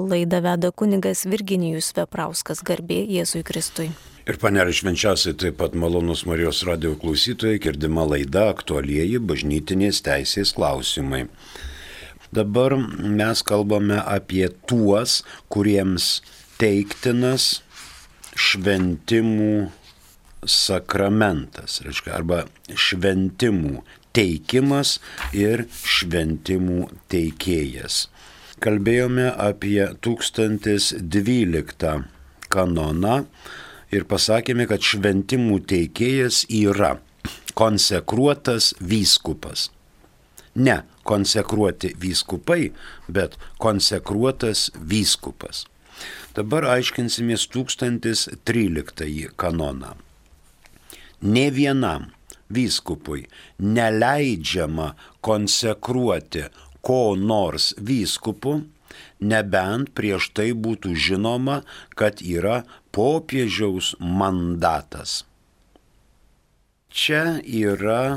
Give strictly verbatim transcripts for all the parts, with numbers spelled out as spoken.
Laidą veda kunigas Virginijus Veprauskas, garbė Jėzui Kristui. Ir panelė švenčiausiai taip pat malonus Marijos radijo klausytojai, girdima laida aktualieji bažnytinės teisės klausimai. Dabar mes kalbame apie tuos, kuriems teiktinas šventimų sakramentas, reiškia, arba šventimų teikimas ir šventimų teikėjas. Kalbėjome apie tūkstantis dvyliktą kanoną ir pasakėme, kad šventimų teikėjas yra konsekruotas vyskupas. Ne konsekruoti vyskupai, bet konsekruotas vyskupas. Dabar aiškinsimės tūkstantis tryliktąjį kanoną. Nė vienam vyskupui neleidžiama konsekruoti ko nors vyskupu, nebent prieš tai būtų žinoma, kad yra popiežiaus mandatas. Čia yra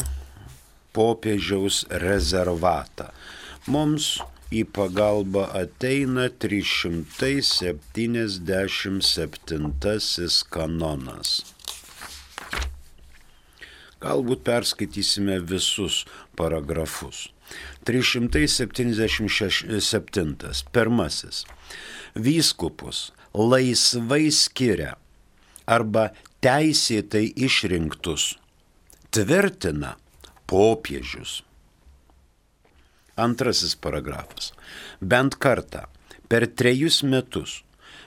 popiežiaus rezervata. Mums į pagalbą ateina trys šimtai septyniasdešimt septintasis kanonas. Galbūt perskaitysime visus paragrafus. trys šimtai septyniasdešimt septintas. Pirmasis. Vyskupus laisvai skiria arba teisėtai išrinktus tvirtina popiežius. Antrasis paragrafas. Bent kartą per trejus metus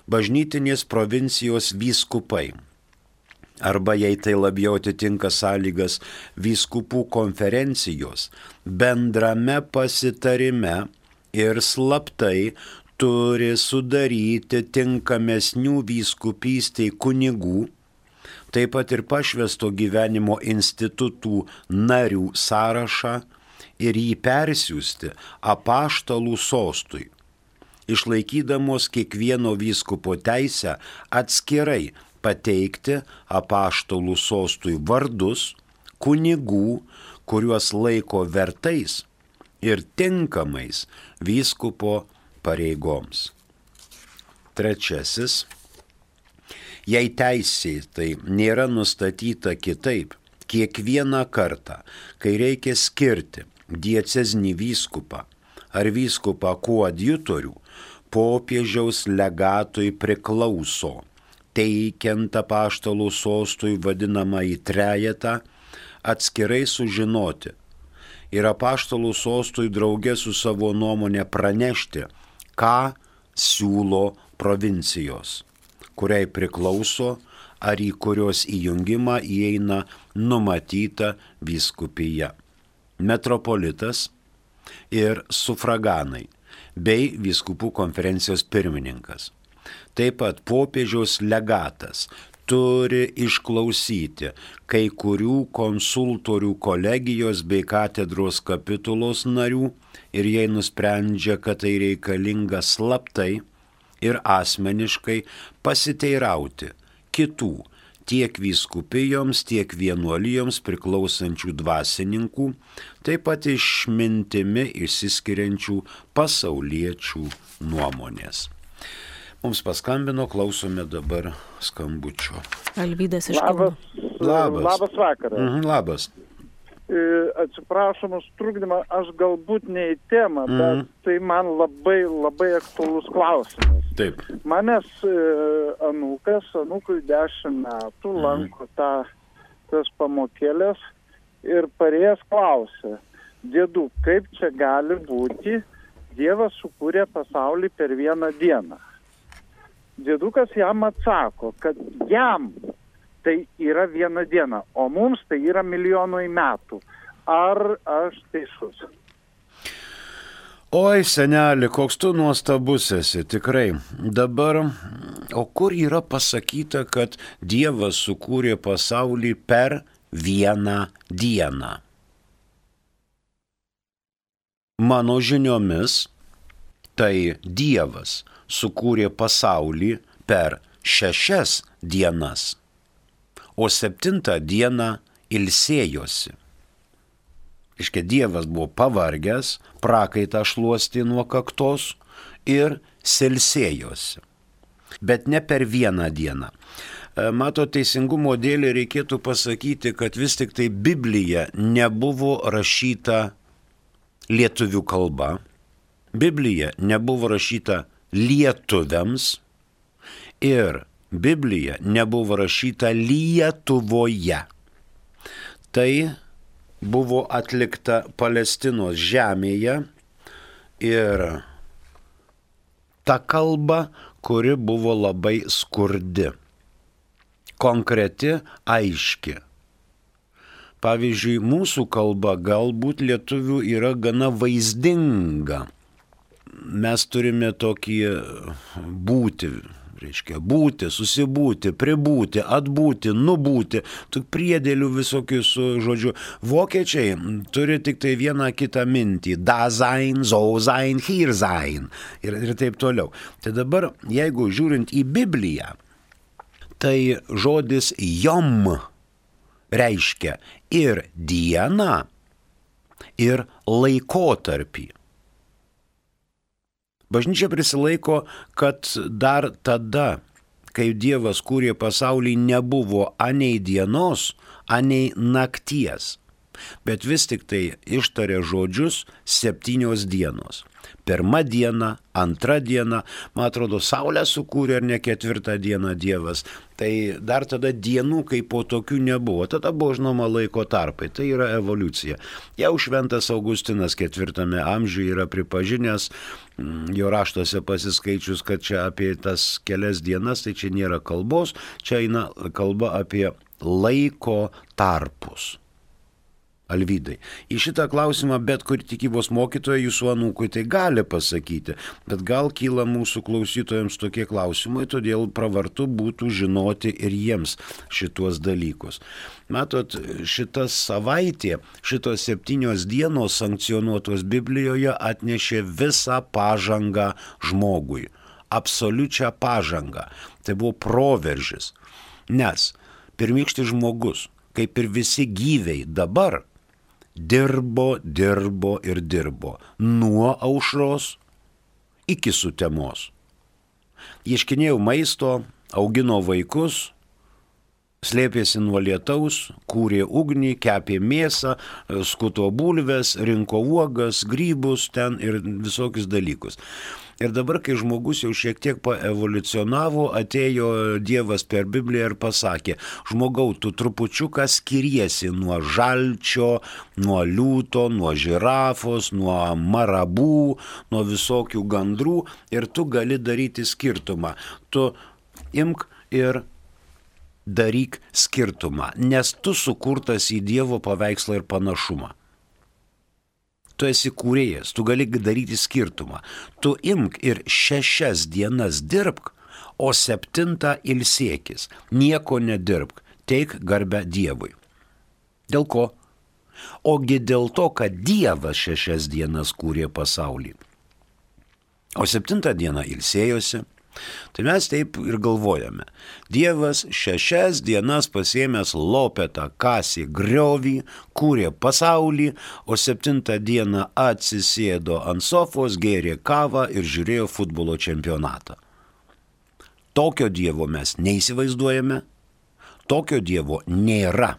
bažnytinės provincijos vyskupai arba, jei tai labiau atitinka sąlygas, vyskupų konferencijos bendrame pasitarime ir slaptai turi sudaryti tinkamesnių vyskupystei kunigų, taip pat ir pašvęsto gyvenimo institutų narių sąrašą ir jį persiųsti apaštalų sostui, išlaikydamos kiekvieno vyskupo teisę atskirai pateikti apaštalų sostui vardus kunigų, kuriuos laiko vertais ir tinkamais vyskupo pareigoms. Trečiasis. Jei teisėtai nėra nustatyta kitaip, kiekvieną kartą, kai reikia skirti diecezinį vyskupą ar vyskupą koadjutorių, popiežiaus legatui priklauso, teikiant apaštalų sostui vadinamąjį trejetą, atskirai sužinoti ir apaštalų sostui drauge su savo nuomonė pranešti, ką siūlo provincijos, kuriai priklauso ar į kurios įjungimą įeina numatyta vyskupija, metropolitas ir sufraganai bei vyskupų konferencijos pirmininkas. Taip pat popiežiaus legatas turi išklausyti kai kurių konsultorių kolegijos bei katedros kapitulos narių ir jei nusprendžia, kad tai reikalinga slaptai ir asmeniškai pasiteirauti kitų tiek vyskupijoms, tiek vienuolijoms priklausančių dvasininkų, taip pat išmintimi išsiskiriančių pasauliečių nuomonės. Mums paskambino, klausome dabar skambučio. Alvydas iš Kauno. Labas, Labas. labas vakaras. Mhm, labas. E, Atsiprašom už trukdymą, aš galbūt ne į temą, Mhm. bet tai man labai, labai aktualus klausimas. Taip. Manęs e, anūkas, anūkui dešimt metų, Mhm. lanko tą, tas pamokėlės ir parėjęs klausia, dėdu, kaip čia gali būti, Dievas sukūrė pasaulį per vieną dieną. Dėdukas jam atsako, kad jam tai yra viena diena, o mums tai yra milijonai metų. Ar aš teisus? Oi, seneli, koks tu nuostabus esi, tikrai. Dabar, o kur yra pasakyta, kad Dievas sukūrė pasaulį per vieną dieną? Mano žiniomis, tai Dievas sukūrė pasaulį per šešias dienas, o septintą dieną ilsėjosi. Iškia, Dievas buvo pavargęs, prakaitą šluostė nuo kaktos ir silsėjosi. Bet ne per vieną dieną. Mato, teisingumo dėlį reikėtų pasakyti, kad vis tik tai Biblija nebuvo rašyta lietuvių kalba. Biblija nebuvo rašyta lietuviams ir Biblija nebuvo rašyta Lietuvoje. Tai buvo atlikta Palestinos žemėje ir ta kalba, kuri buvo labai skurdi. Konkreti, aiški. Pavyzdžiui, mūsų kalba galbūt lietuvių yra gana vaizdinga. Mes turime tokį būti, reiškia būti, susibūti, pribūti, atbūti, nubūti, tų priedėlių visokių su žodžiu. Vokiečiai turi tik tai vieną kitą mintį. Da sein, so sein, hier sein ir, ir taip toliau. Tai dabar, jeigu žiūrint į Bibliją, tai žodis jom reiškia ir dieną, ir laikotarpį. Bažnyčia prisilaiko, kad dar tada, kai Dievas kūrė pasaulį, nebuvo anei dienos, anei nakties. Bet vis tik tai ištarė žodžius septynios dienos. Pirma diena, antra diena, man atrodo, saulę sukūrė ar ne ketvirtą dieną Dievas. Tai dar tada dienų kaip po tokių nebuvo. Tada buvo žinoma laiko tarpai. Tai yra evoliucija. Jau šventas Augustinas ketvirtame amžiuje yra pripažinęs, jo raštuose pasiskaičius, kad čia apie tas kelias dienas, tai čia nėra kalbos, čia eina kalba apie laiko tarpus. Alvydai, į šitą klausimą bet kur tikybos mokytoja jūsų anūkui tai gali pasakyti, bet gal kyla mūsų klausytojams tokie klausimai, todėl pravartu būtų žinoti ir jiems šituos dalykus. Matot, šita savaitė, šitos septynios dienos sankcionuotos Biblijoje atnešė visą pažangą žmogui, absoliučią pažangą. Tai buvo proveržis, nes pirmykštis žmogus, kaip ir visi gyviai dabar, dirbo, dirbo ir dirbo nuo aušros iki sutemos. Ieškinėjo maisto, augino vaikus, slėpėsi nuo lietaus, kūrė ugnį, kepė mėsą, skuto bulves, rinko uogas, grybus ten ir visokius dalykus. Ir dabar, kai žmogus jau šiek tiek paevoliucionavo, atėjo Dievas per Bibliją ir pasakė, žmogau, tu trupučiuką skiriesi nuo žalčio, nuo liūto, nuo žirafos, nuo marabų, nuo visokių gandrų ir tu gali daryti skirtumą. Tu imk ir daryk skirtumą, nes tu sukurtas į Dievo paveikslą ir panašumą. Tu esi kūrėjas, tu gali daryti skirtumą. Tu imk ir šešias dienas dirbk, o septintą ilsėkis. Nieko nedirbk, teik garbę Dievui. Dėl ko? Ogi dėl to, kad Dievas šešias dienas kūrė pasaulį. O septintą dieną ilsėjosi. Tai mes taip ir galvojame. Dievas šešias dienas pasiėmęs lopetą, kasė griovį, kūrė pasaulį, o septintą dieną atsisėdo ant sofos, gėrė kavą ir žiūrėjo futbolo čempionatą. Tokio Dievo mes neįsivaizduojame, tokio Dievo nėra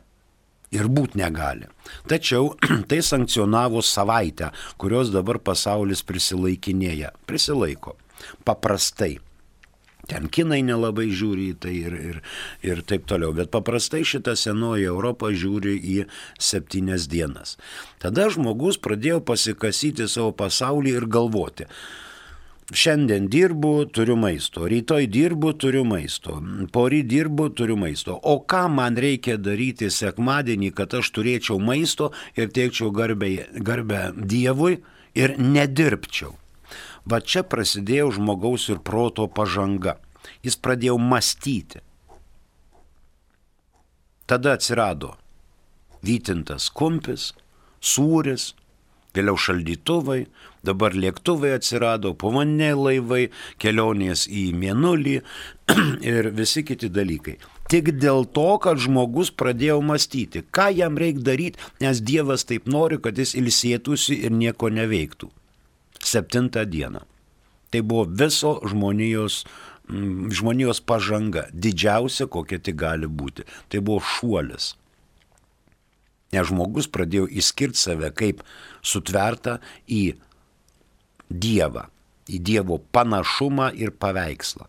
ir būt negali. Tačiau tai sankcionavo savaitę, kurios dabar pasaulis prisilaikinėja. Prisilaiko. Paprastai. Ten kinai nelabai žiūri į tai ir, ir, ir taip toliau, bet paprastai šitą senoji Europą žiūri į septynias dienas. Tada žmogus pradėjo pasikasyti savo pasaulį ir galvoti. Šiandien dirbu, turiu maisto, rytoj dirbu, turiu maisto, poryt dirbu, turiu maisto. O ką man reikia daryti sekmadienį, kad aš turėčiau maisto ir teikčiau garbę, garbę Dievui ir nedirbčiau? Va čia prasidėjo žmogaus ir proto pažanga. Jis pradėjo mąstyti. Tada atsirado vytintas kumpis, sūris, vėliau šaldytuvai, dabar lėktuvai atsirado, povandeniniai laivai, kelionės į mėnulį ir visi kiti dalykai. Tik dėl to, kad žmogus pradėjo mąstyti, ką jam reikia daryti, nes Dievas taip nori, kad jis ilsėtųsi ir nieko neveiktų. Septintą dieną. Tai buvo viso žmonijos, žmonijos pažanga, didžiausia, kokia tik gali būti. Tai buvo šuolis. Nes žmogus pradėjo išskirti save kaip sutvertą į Dievą, į Dievo panašumą ir paveikslą.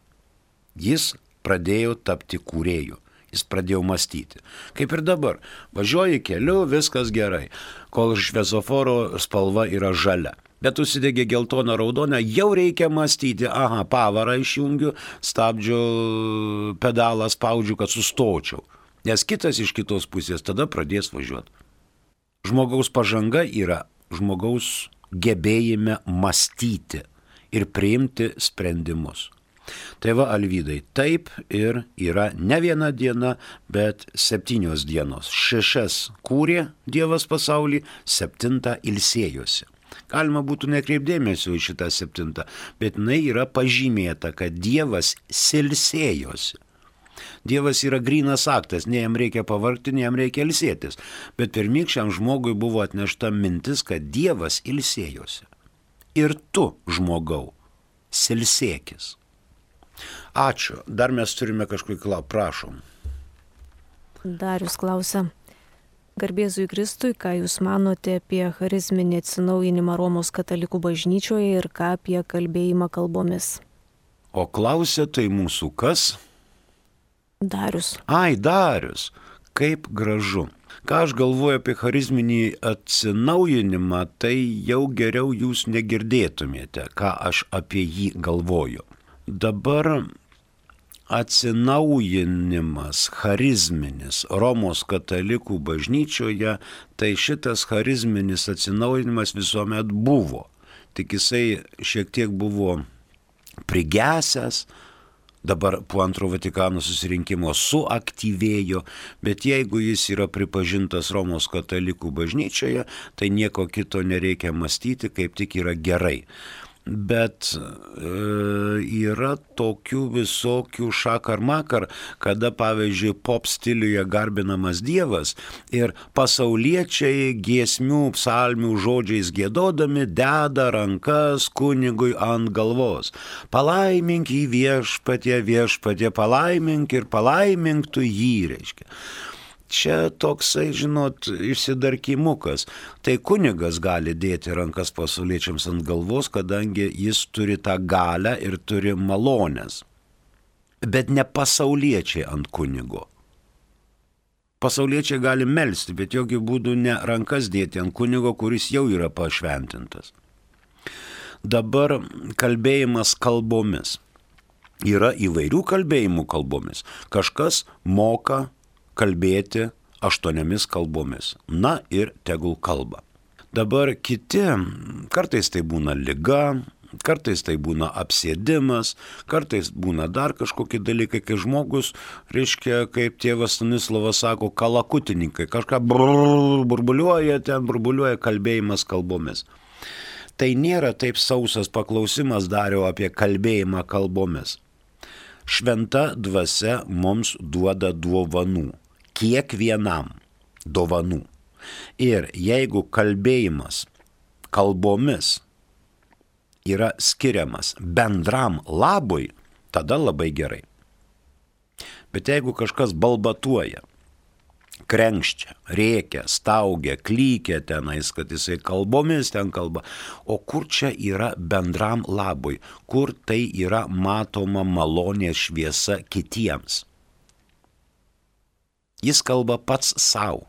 Jis pradėjo tapti kūrėju, jis pradėjo mąstyti. Kaip ir dabar, važiuoji keliu, viskas gerai, kol šviesoforo spalva yra žalia. Bet užsidegė geltoną raudoną, jau reikia mąstyti, aha, pavarą išjungiu, stabdžio pedalą spaudžiu, kad sustočiau. Nes kitas iš kitos pusės tada pradės važiuoti. Žmogaus pažanga yra žmogaus gebėjime mąstyti ir priimti sprendimus. Tai va, Alvydai, taip ir yra ne viena diena, bet septynios dienos. Šešias kūrė Dievas pasaulį, septintą ilsėjosi. Galima būtų nekreipdėmėsio į šitą septintą, bet jinai yra pažymėta, kad Dievas silsėjosi. Dievas yra grynas aktas, ne jam reikia pavargti, ne jam reikia ilsėtis. Bet pirmykščiam žmogui buvo atnešta mintis, kad Dievas ilsėjosi. Ir tu, žmogau, silsėkis. Ačiū. Dar mes turime kažkokį klausimą. Prašom. Darius klausia. Garbėzui Kristui, ką jūs manote apie charizminį atsinaujinimą Romos katalikų bažnyčioje ir ką apie kalbėjimą kalbomis? O klausė tai mūsų kas? Darius. Ai, Darius. Kaip gražu. Ką aš galvoju apie charizminį atsinaujinimą, tai jau geriau jūs negirdėtumėte, ką aš apie jį galvoju. Dabar atsinaujinimas charizminis Romos katalikų bažnyčioje, tai šitas charizminis atsinaujinimas visuomet buvo. Tik jisai šiek tiek buvo prigesęs, dabar po antro Vatikano susirinkimo suaktyvėjo, bet jeigu jis yra pripažintas Romos katalikų bažnyčioje, tai nieko kito nereikia mąstyti, kaip tik yra gerai. Bet e, yra tokių visokių šakar makar, kada, pavyzdžiui, pop stiliuje garbinamas Dievas ir pasauliečiai giesmių, psalmių žodžiais giedodami deda rankas kunigui ant galvos. Palaimink jį viešpatie, viešpatie, palaimink ir palaimink tu jį, reiškia. Čia toksai, žinot, išsidarkimukas. Tai kunigas gali dėti rankas pasauliečiams ant galvos, kadangi jis turi tą galią ir turi malonės. Bet ne pasauliečiai ant kunigo. Pasauliečiai gali melsti, bet jokių būdų ne rankas dėti ant kunigo, kuris jau yra pašventintas. Dabar kalbėjimas kalbomis. Yra įvairių kalbėjimų kalbomis. Kažkas moka kalbėti aštuoniomis kalbomis. Na ir tegul kalba. Dabar kiti, kartais tai būna liga, kartais tai būna apsėdimas, kartais būna dar kažkokie dalykai, kai žmogus, reiškia, kaip tėvas Stanislavas sako, kalakutininkai, kažką burbuliuoja, ten burbuliuoja kalbėjimas kalbomis. Tai nėra taip sausas paklausimas Dario apie kalbėjimą kalbomis. Šventa dvasia mums duoda dovanų. Kiekvienam dovanų. Ir jeigu kalbėjimas kalbomis yra skiriamas bendram labui, tada labai gerai. Bet jeigu kažkas balbatuoja, krenkščia, rėkia, staugia, klykia tenais, kad jisai kalbomis ten kalba, o kur čia yra bendram labui, kur tai yra matoma malonės šviesa kitiems. Jis kalba pats savo.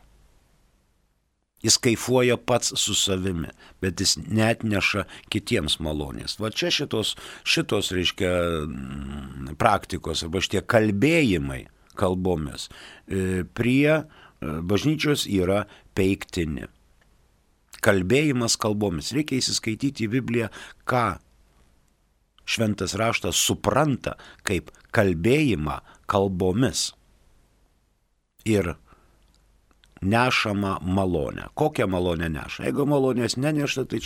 Jis kaifuoja pats su savimi, bet jis neatneša kitiems malonės. Va čia šitos, šitos reiškia, praktikos, arba šitie kalbėjimai kalbomis prie bažnyčios yra peiktini. Kalbėjimas kalbomis. Reikia įsiskaityti į Bibliją, ką šventas raštas supranta kaip kalbėjimą kalbomis. Ir nešama malonė. Kokią malonę neša? Jeigu malonės neneša, tai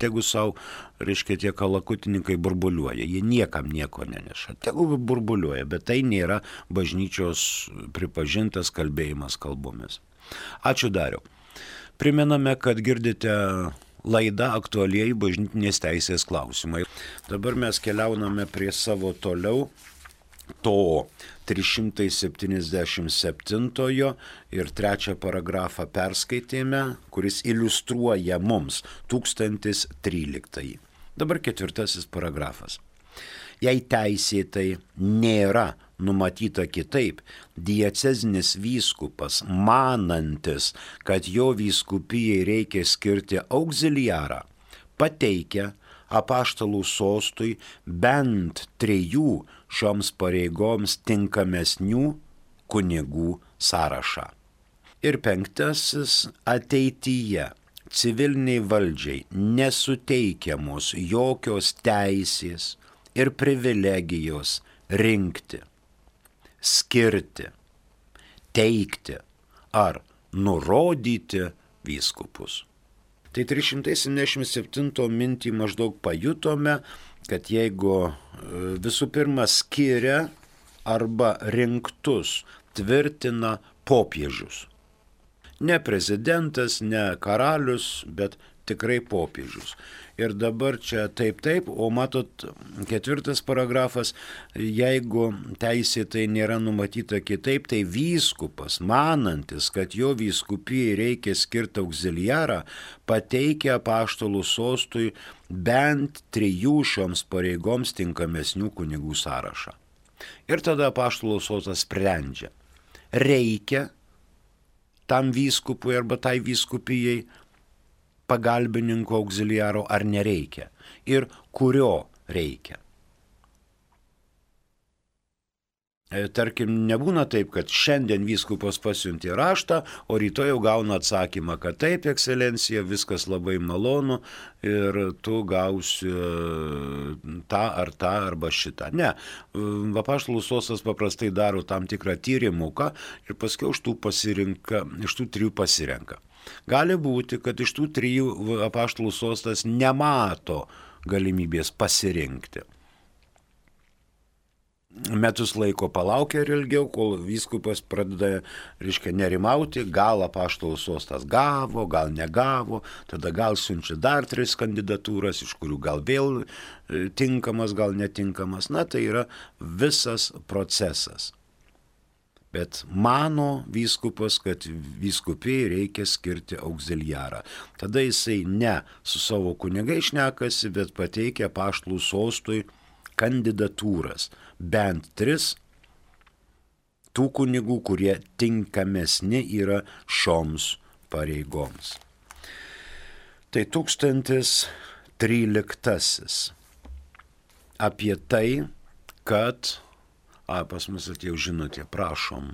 tegu savo, reiškia, tie kalakutininkai burbuliuoja. Jie niekam nieko neneša. Tegu burbuliuoja, bet tai nėra bažnyčios pripažintas kalbėjimas kalbomis. Ačiū Dariau. Primename, kad girdite Laida aktualieji bažnytinės teisės klausimai. Dabar mes keliauname prie savo toliau to trys šimtai septyniasdešimt septintojo ir trečią paragrafą perskaitėme, kuris iliustruoja mums tūkstantis tryliktąjį. Dabar ketvirtasis paragrafas. Jei teisėtai nėra numatyta kitaip, diecezinis vyskupas, manantis, kad jo vyskupijai reikia skirti auxiliarą, pateikia apaštalų sostui bent trejų šioms pareigoms tinkamesnių kunigų sąrašą. Ir penktasis, ateityje civiliniai valdžiai nesuteikiamos jokios teisės ir privilegijos rinkti, skirti, teikti ar nurodyti vyskupus. Tai trys šimtai septyniasdešimt septinto mintį maždaug pajutome, kad jeigu visų pirma skiria arba rinktus tvirtina popiežius. Ne prezidentas, ne karalius, bet tikrai popiežius. Ir dabar čia taip taip, o matot, ketvirtas paragrafas, jeigu teisėtai nėra numatyta kitaip, tai vyskupas, manantis, kad jo vyskupijai reikia skirti auxiliarą, pateikia apaštalų sostui bent trijų šioms pareigoms tinkamesnių kunigų sąrašą. Ir tada apaštalų sostas sprendžia, reikia tam vyskupui arba tai vyskupijai pagalbininko auxiliaro ar nereikia ir kurio reikia. Tarkim, nebūna taip, kad šiandien vyskupas pasiuntė raštą, o rytoj jau gauna atsakymą, kad taip, ekscelencija, viskas labai malonu ir tu gausi tą ar tą arba šitą. Ne, apaštalų sostas paprastai daro tam tikrą tyrimuką ir paskui iš tų, pasirinka, iš tų trijų pasirenka. Gali būti, kad iš tų trijų apaštalų sostas nemato galimybės pasirinkti. Metus laiko palaukia ir ilgiau, kol vyskupas pradeda, reiškia, nerimauti, gal apaštalų sostas gavo, gal negavo, tada gal siunčia dar tris kandidatūras, iš kurių gal vėl tinkamas, gal netinkamas. Na, tai yra visas procesas. Bet mano vyskupas, kad vyskupijai reikia skirti auxiliarą. Tada jisai ne su savo kunigai šnekasi, bet pateikia apaštalų sostui kandidatūras. Bent tris tų kunigų, kurie tinkamesni yra šioms pareigoms. Tai tūkstantis tryliktasis. Apie tai, kad A, pas mus atėjo žinutė, prašom,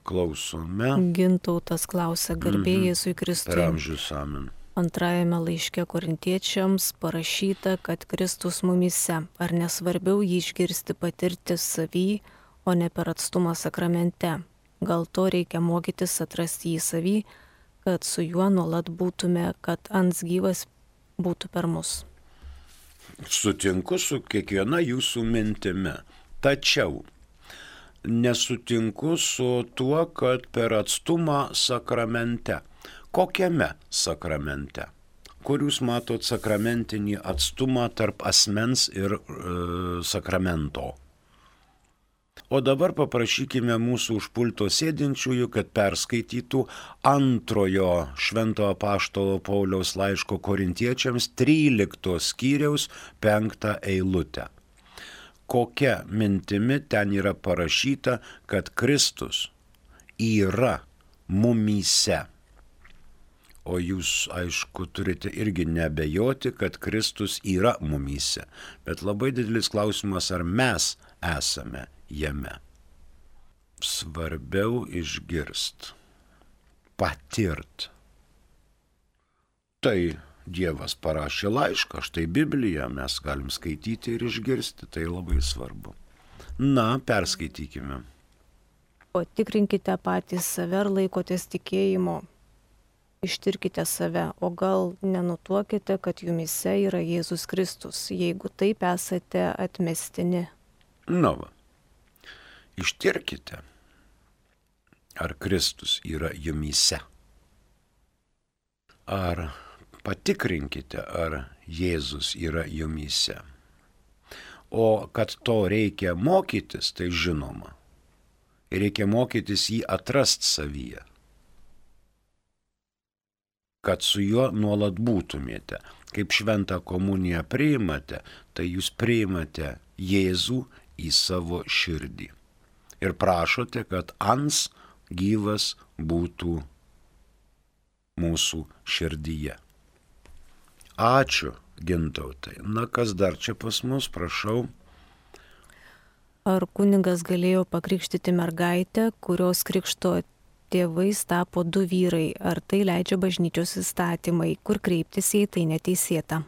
klausome. Gintautas klausia, garbė Jėzui Kristui. Per amžius amen. Antrajame laiške korintiečiams parašyta, kad Kristus mumyse, ar nesvarbiau jį išgirsti patirti savy, o ne per atstumą sakramente. Gal to reikia mokytis atrasti jį savy, kad su juo nuolat būtume, kad ants gyvas būtų per mus. Sutinku su kiekviena jūsų mintimi, tačiau nesutinku su tuo, kad per atstumą sakramente. Kokiame sakramente? Kur jūs matot sakramentinį atstumą tarp asmens ir e, sakramento? O dabar paprašykime mūsų už pulto sėdinčiųjų, kad perskaitytų antrojo švento apaštalo Pauliaus laiško korintiečiams trylikto skyriaus penktą eilutę. Kokia mintimi ten yra parašyta, kad Kristus yra mumyse. O jūs, aišku, turite irgi nebejoti, kad Kristus yra mumyse. Bet labai didelis klausimas, ar mes esame jame. Svarbiau išgirst, patirt. Tai Dievas parašė laišką, štai Bibliją mes galim skaityti ir išgirsti, tai labai svarbu. Na, perskaitykime. O tikrinkite patys save, ar laikotės tikėjimo. Ištirkite save, o gal nenutuokite, kad jumyse yra Jėzus Kristus, jeigu taip esate atmestini. Na va. Ištirkite, ar Kristus yra jumyse. ar patikrinkite, ar Jėzus yra jumyse. O kad to reikia mokytis, tai žinoma. Ir reikia mokytis jį atrast savyje. Kad su juo nuolat būtumėte. Kaip šventą komuniją priimate, tai jūs priimate Jėzų į savo širdį. Ir prašote, kad ans gyvas būtų mūsų širdyje. Ačiū, Gintautai. Na, kas dar čia pas mus, prašau. Ar kunigas galėjo pakrikštyti mergaitę, kurios krikšto tėvais tapo du vyrai? Ar tai leidžia bažnyčios įstatymai, kur kreiptis, jei tai neteisėta?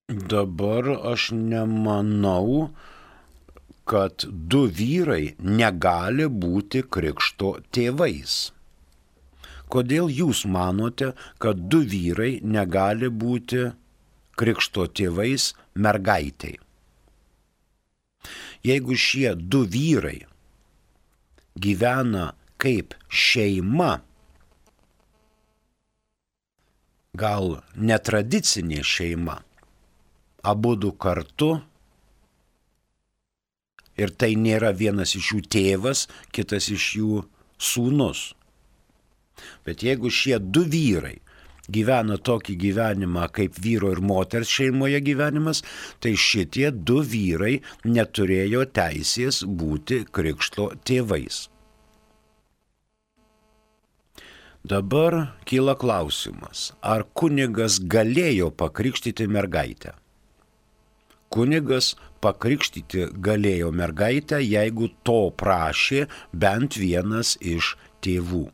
Dabar aš nemanau, kad du vyrai negali būti krikšto tėvais. Kodėl jūs manote, kad du vyrai negali būti krikšto tėvais mergaitei? Jeigu šie du vyrai gyvena kaip šeima, gal netradicinė šeima, abudu kartu, ir tai nėra vienas iš jų tėvas, kitas iš jų sūnus. Bet jeigu šie du vyrai gyvena tokį gyvenimą kaip vyro ir moters šeimoje gyvenimas, tai šitie du vyrai neturėjo teisės būti krikšto tėvais. Dabar kyla klausimas, ar kunigas galėjo pakrikštyti mergaitę? Kunigas pakrikštyti galėjo mergaitę, jeigu to prašė bent vienas iš tėvų.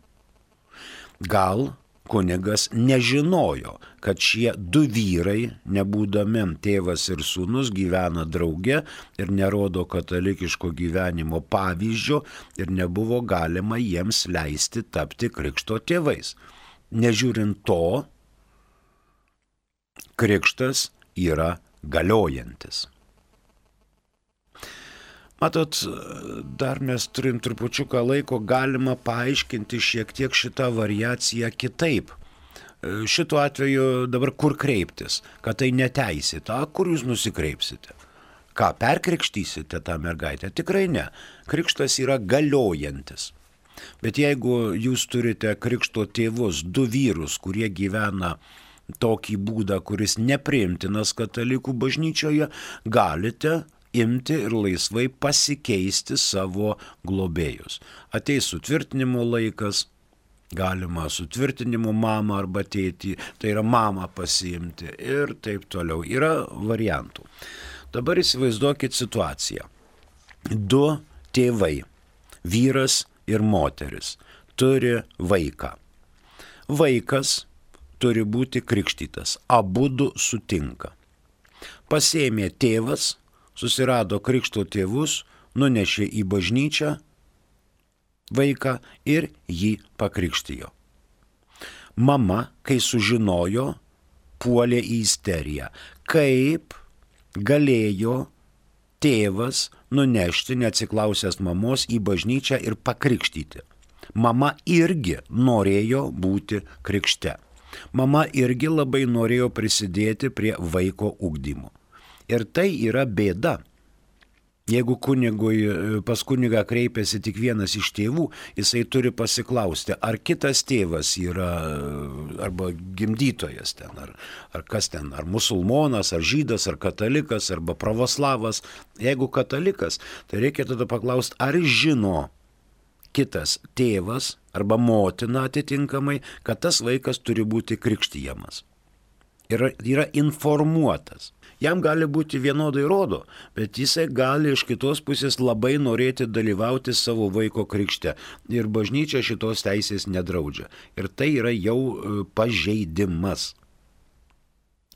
Gal kunigas nežinojo, kad šie du vyrai, nebūdami tėvas ir sūnus, gyvena drauge ir nerodo katalikiško gyvenimo pavyzdžio ir nebuvo galima jiems leisti tapti krikšto tėvais. Nežiūrint to, krikštas yra galiojantis. Matot, dar mes turim trupučiuką laiko, galima paaiškinti šiek tiek šitą variaciją kitaip. Šituo atveju dabar kur kreiptis, kad tai neteisėta, kur jūs nusikreipsite? Ką, perkrikštysite tą mergaitę? Tikrai ne. Krikštas yra galiojantis. Bet jeigu jūs turite krikšto tėvus, du vyrus, kurie gyvena tokį būdą, kuris nepriimtinas katalikų bažnyčioje, galite imti ir laisvai pasikeisti savo globėjus. Ateis sutvirtinimo laikas, galima sutvirtinimo mamą arba tėtį, tai yra mamą pasiimti ir taip toliau. Yra variantų. Dabar įsivaizduokit situaciją. Du tėvai, vyras ir moteris, turi vaiką. Vaikas turi būti krikštytas, abudu sutinka. Pasėmė tėvas, susirado krikšto tėvus, nunešė į bažnyčią vaiką ir jį pakrikštijo. Mama, kai sužinojo, puolė į isteriją. Kaip galėjo tėvas nunešti, neatsiklausęs mamos, į bažnyčią ir pakrikštyti? Mama irgi norėjo būti krikšte. Mama irgi labai norėjo prisidėti prie vaiko ugdymo. Ir tai yra bėda. Jeigu kunigui, pas kunigą kreipiasi tik vienas iš tėvų, jisai turi pasiklausti, ar kitas tėvas yra arba gimdytojas ten, ar, ar kas ten, ar musulmonas, ar žydas, ar katalikas, arba pravoslavas. Jeigu katalikas, tai reikia tada paklausti, ar žino kitas tėvas arba motina atitinkamai, kad tas vaikas turi būti krikštijamas. Yra, yra informuotas. Jam gali būti vienodai rodo, bet jisai gali iš kitos pusės labai norėti dalyvauti savo vaiko krikšte. Ir bažnyčia šitos teisės nedraudžia. Ir tai yra jau pažeidimas.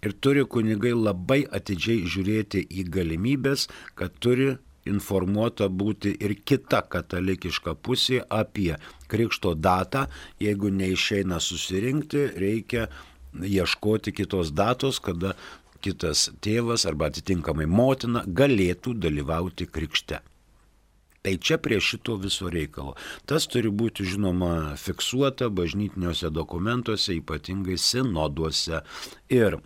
Ir turi kunigai labai atidžiai žiūrėti į galimybės, kad turi informuota būti ir kita katalikiška pusė apie krikšto datą. Jeigu neišeina susirinkti, reikia ieškoti kitos datos, kada kitas tėvas arba atitinkamai motina galėtų dalyvauti krikšte. Tai čia prie šito viso reikalo. Tas turi būti, žinoma, fiksuota bažnytiniuose dokumentuose, ypatingai sinoduose ir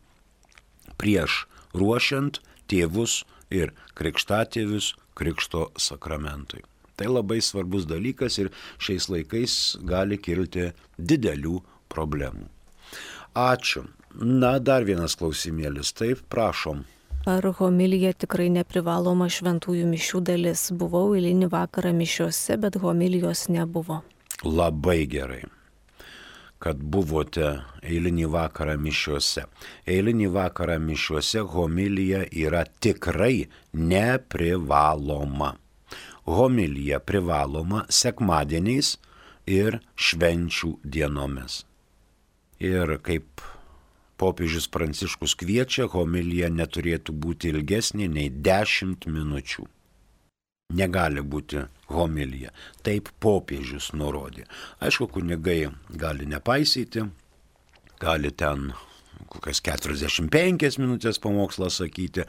prieš ruošiant tėvus ir krikštatėvius krikšto sakramentui. Tai labai svarbus dalykas ir šiais laikais gali kilti didelių problemų. Ačiū. Na, dar vienas klausimėlis. Taip, prašom. Ar homilija tikrai neprivaloma šventųjų mišių dalis? Buvau eilinį vakarą mišiuose, bet homilijos nebuvo. Labai gerai, kad buvote eilinį vakarą mišiuose. Eilinį vakarą mišiuose homilija yra tikrai neprivaloma. Homilija privaloma sekmadieniais ir švenčių dienomis. Ir kaip popiežius Pranciškus kviečia, homilija neturėtų būti ilgesnė nei dešimt minučių. Negali būti homilija. Taip popiežius nurodė. Aišku, kunigai gali nepaisyti, gali ten kokias keturiasdešimt penkias minutės pamokslą sakyti,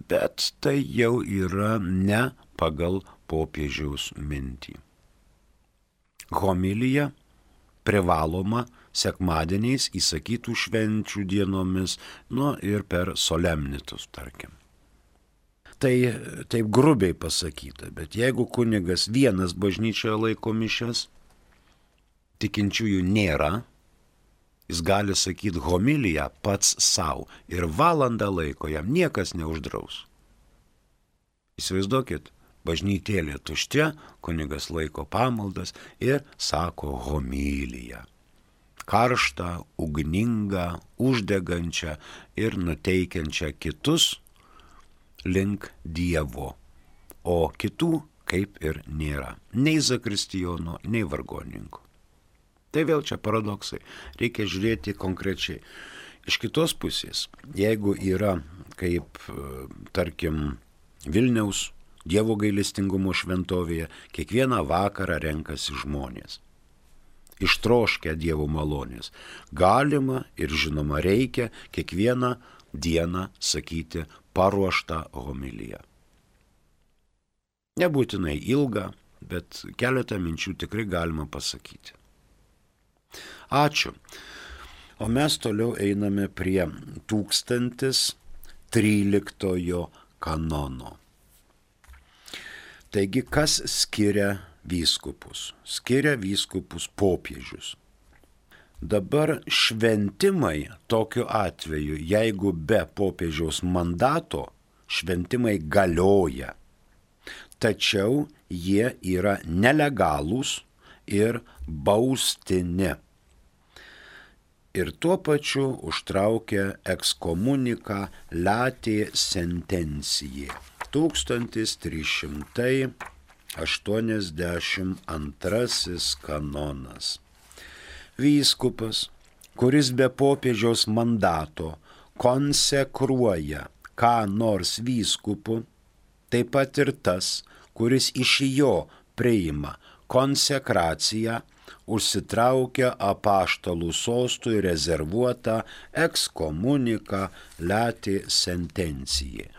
bet tai jau yra ne pagal popiežiaus mintį. Homilija privaloma sekmadieniais, įsakytų švenčių dienomis, nu ir per solemnitus, tarkim. Tai taip grubiai pasakyta, bet jeigu kunigas vienas bažnyčioje laiko mišias, tikinčiųjų nėra, jis gali sakyti homiliją pats savo ir valandą laiko jam niekas neuždraus. Įsivaizduokit, bažnytėlė tuščia, kunigas laiko pamaldas ir sako homiliją. Karštą, ugningą, uždegančią ir nuteikiančią kitus link Dievo, o kitų kaip ir nėra. Nei zakristijono, nei vargoninkų. Tai vėl čia paradoksai. Reikia žiūrėti konkrečiai. Iš kitos pusės, jeigu yra kaip, tarkim, Vilniaus Dievo gailestingumo šventovėje, kiekvieną vakarą renkasi žmonės. Ištroškę Dievo malonės. Galima ir žinoma reikia kiekvieną dieną sakyti paruoštą homiliją. Nebūtinai ilgą, bet keletą minčių tikrai galima pasakyti. Ačiū. O mes toliau einame prie tūkstantis tryliktojo kanono. Taigi, kas skiria vyskupus? Skiria vyskupus popiežius. Dabar šventimai tokiu atveju, jeigu be popiežiaus mandato, šventimai galioja. Tačiau jie yra nelegalūs ir baustini. Ir tuo pačiu užtraukia ekskomuniką latė sentencijė. tūkstantis trys šimtai aštuoniasdešimt antrasis kanonas. Vyskupas, kuris be popiežiaus mandato konsekruoja ką nors vyskupu, taip pat ir tas, kuris iš jo priima konsekraciją, užsitraukia apaštalų sostui rezervuotą ekskomuniką latė sentencijė.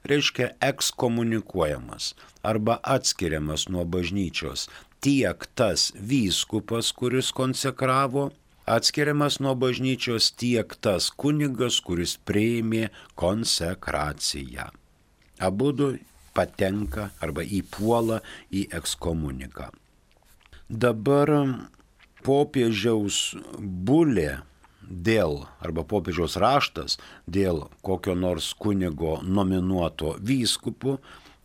Reiškia ekskomunikuojamas arba atskiriamas nuo bažnyčios tiek tas vyskupas, kuris konsekravo, atskiriamas nuo bažnyčios tiek tas kunigas, kuris priėmė konsekraciją. Abudu patenka arba įpuola į ekskomuniką. Dabar popiežiaus bulė dėl, arba popiežiaus raštas dėl kokio nors kunigo nominuoto vyskupu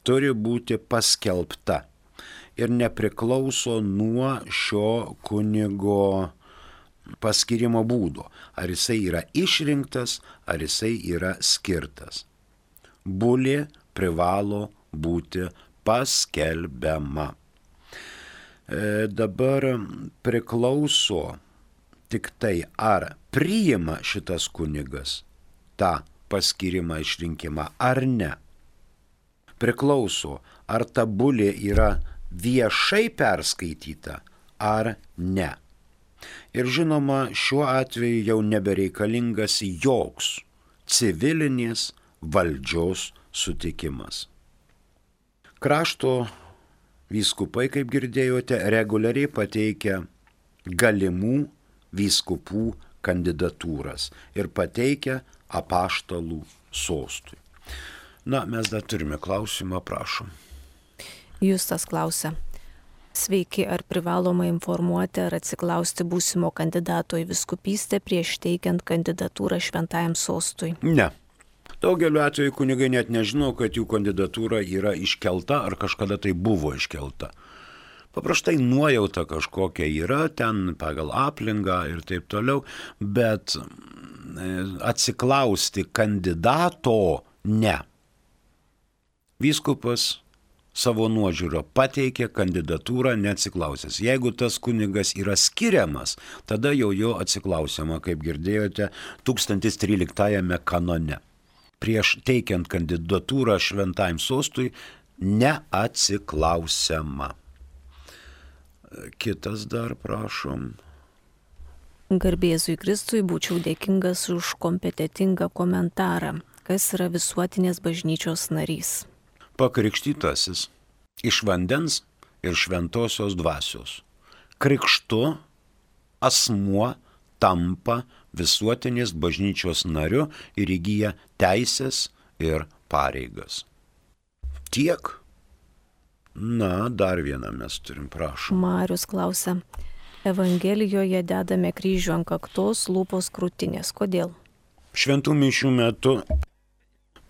turi būti paskelbta ir nepriklauso nuo šio kunigo paskirimo būdo, ar jisai yra išrinktas, ar jisai yra skirtas. Bulė privalo būti paskelbiama. E, dabar priklauso tik tai, ar priima šitas kunigas tą paskirimą išrinkimą ar ne. Priklauso, ar ta bulė yra viešai perskaityta ar ne. Ir žinoma, šiuo atveju jau nebereikalingas joks civilinės valdžios sutikimas. Krašto Vyskupai, kaip girdėjote, reguliariai pateikia galimų vyskupų kandidatūras ir pateikia apaštalų sostui. Na, mes dar turime klausimą, prašom. Justas klausia. Sveiki, ar privaloma informuoti ar atsiklausti būsimo kandidato į vyskupystę prieš teikiant kandidatūrą šventajam sostui? Ne. Daugeliu atveju kunigai net nežino, kad jų kandidatūra yra iškelta ar kažkada tai buvo iškelta. Paprastai nuojauta kažkokia yra ten pagal aplinką ir taip toliau, bet atsiklausti kandidato ne. Vyskupas savo nuožiūrą pateikė kandidatūrą neatsiklausęs. Jeigu tas kunigas yra skiriamas, tada jau jo atsiklausiama, kaip girdėjote, tūkstantis tryliktajame kanone. Prieš teikiant kandidatūrą šventajam sostui neatsiklausiama. Kitas dar, prašom. Garbėzui Kristui, būčiau dėkingas už kompetentingą komentarą. Kas yra visuotinės bažnyčios narys? Pakrikštytasis iš vandens ir šventosios dvasios. Krikštu asmuo tampa visuotinės bažnyčios nariu ir įgyja teisės ir pareigas. Tiek. Na, dar vieną mes turim, prašom. Marius klausia. Evangelijoje dedame kryžių ant kaktos, lūpos krūtinės. Kodėl? Šventų mišių metu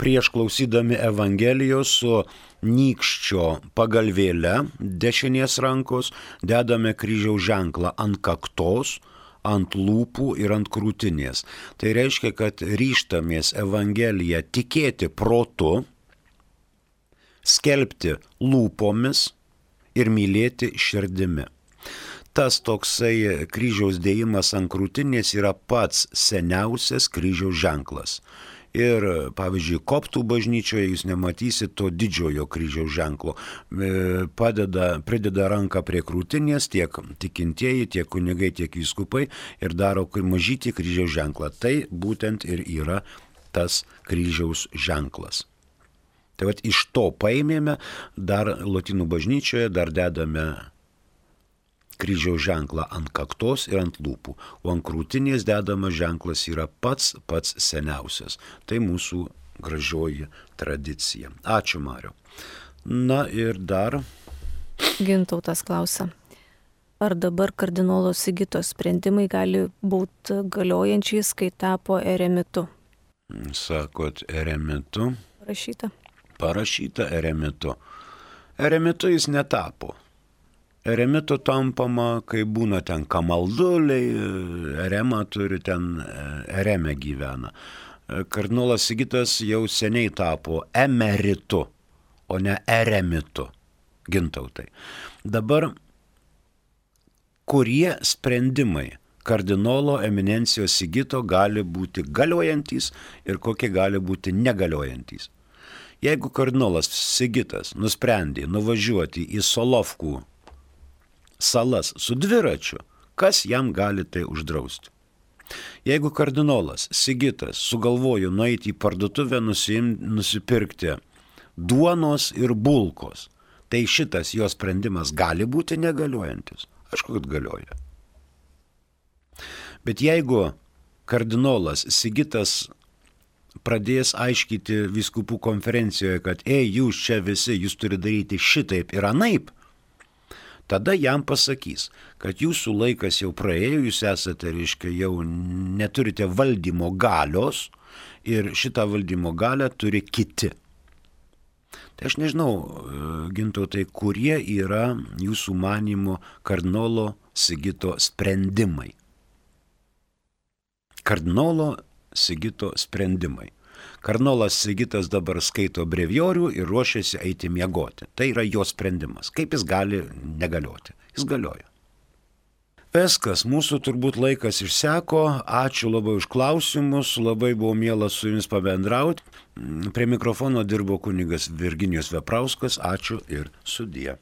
prieš klausydami Evangelijos su nykščio pagalvėle dešinės rankos dedame kryžiaus ženklą ant kaktos, ant lūpų ir ant krūtinės. Tai reiškia, kad ryžtamės Evangeliją tikėti protu, skelbti lūpomis ir mylėti širdimi. Tas toksai kryžiaus dėjimas ant krūtinės yra pats seniausias kryžiaus ženklas. Ir, pavyzdžiui, koptų bažnyčioje jūs nematysit to didžiojo kryžiaus ženklo. Padeda, prideda ranką prie krūtinės tiek tikintieji, tiek kunigai, tiek vyskupai ir daro mažytį kryžiaus ženklą. Tai būtent ir yra tas kryžiaus ženklas. Tai vat iš to paėmėme, dar lotynų bažnyčioje dar dedame kryžiaus ženklą ant kaktos ir ant lūpų, o ant krūtinės dedamas ženklas yra pats pats seniausias. Tai mūsų gražioji tradicija. Ačiū, Mariau. Na ir dar. Gintautas klausia. Ar dabar kardinolo Sigito sprendimai gali būti galiojančiais, kai tapo eremitu? Sakot, eremitu? Parašyta. Parašyta eremitu. Eremitu jis netapo. Eremitu tampama, kai būna ten kamalduliai, erema turi ten, ereme gyvena. Kardinolas Sigitas jau seniai tapo emeritu, o ne eremitu, Gintautai. Dabar kurie sprendimai kardinolo eminencijos Sigito gali būti galiojantys ir kokie gali būti negaliojantys? Jeigu kardinolas Sigitas nusprendė nuvažiuoti į Solovkų salas su dviračiu, kas jam gali tai uždrausti? Jeigu kardinolas Sigitas sugalvojo nueiti į parduotuvę nusim, nusipirkti duonos ir bulkos, tai šitas jo sprendimas gali būti negaliojantis. Aišku, kad galioja. Bet jeigu kardinolas Sigitas pradės aiškyti vyskupų konferencijoje, kad ei, jūs čia visi, jūs turi daryti šitaip ir anaip, tada jam pasakys, kad jūsų laikas jau praėjo, jūs esate, reiškia, jau neturite valdymo galios ir šitą valdymo galią turi kiti. Tai aš nežinau, Gintautai, kurie yra jūsų manymo kardinolo Sigito sprendimai. Kardinolo Sigito sprendimai. Kardinolas Sigitas dabar skaito brevijorių ir ruošiasi eiti miegoti. Tai yra jo sprendimas. Kaip jis gali negalioti? Jis galioja. Viskas, mūsų turbūt laikas išseko. Ačiū labai už klausimus, labai buvo miela su jumis pabendrauti. Prie mikrofono dirbo kunigas Virginijus Veprauskas. Ačiū ir sudie.